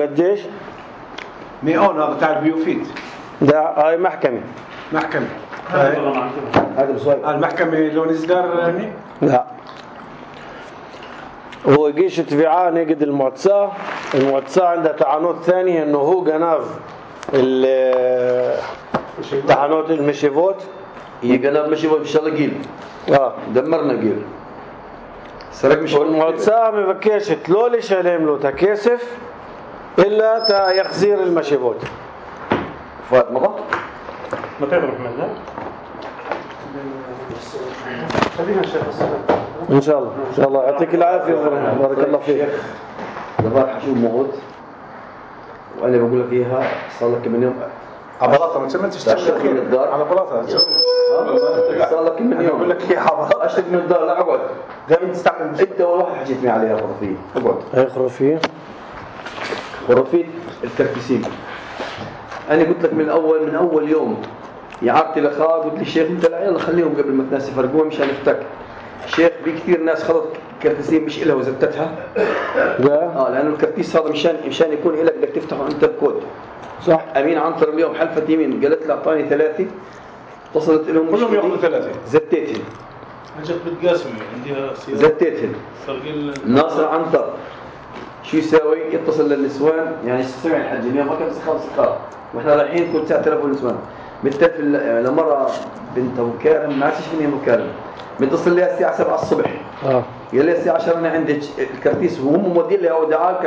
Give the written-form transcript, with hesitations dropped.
قديش؟ نيون هذا تاع البيوفيت. لا هاي محكمة. هذا بصويب. المحكمة لون إصدار هني؟ لا. هو يجيش تبيعاه نجد المعتصاة عندها تعنت ثانية إنه هو جناف تعنت المشيفوت. هي جناف مشيفوت إن شاء الله جيل. دمرنا جيل. سرق مش. والمعتصاة ما بكيش تلولي شالهم له تكيسف إلا تيخزير المشيفوت. فات مضى؟ ما تعرف منها؟ خلينا نشوف إن شاء الله يعطيك العافية بارك الله فيك. دبار حشوم موت وأنا بقول لك إياها صار لك من يوم على بلاطة ما تشتغل من الدار على بلاطة صار لك من يوم بقول لك إياها بلاطة أشتك من الدار لا أقعد دائما تستعمل أنت أول واحد حكيت معي عليها خرافية أقعد. هاي خرافية الكركسين. أنا قلت لك من أول يوم يعرتي لخاء قلت لي الشيخ أنت لا يلا خليهم قبل ما الناس يفرقوها مشان نفتك. الشيخ في كثير ناس خلط كركسين مش إلها وزتتها. لأنه الكركيس هذا مشان يكون إلك بدك تفتحه أنت بكود. صح. أمين عنتر اليوم حلفت يمين قالت لي أعطاني 3 اتصلت لهم كلهم يأخذوا 3 زتيتهم. أجت بتقاسمي عندها سيارة. زتيتهم. ناصر عنتر شو يساوي؟ يتصل للنسوان يعني يسوي الحج اليوم ما كان سخاف واحنا رايحين كل ساعة تلفون النسوان بالتلفون لمرة بنت أبو كارم ما عرفتش مين أبو كارم متصل لها الساعة 7 الصبح. قال لي الساعة 10 أنا عندي الكرتيس وهم مودين لي أودعاء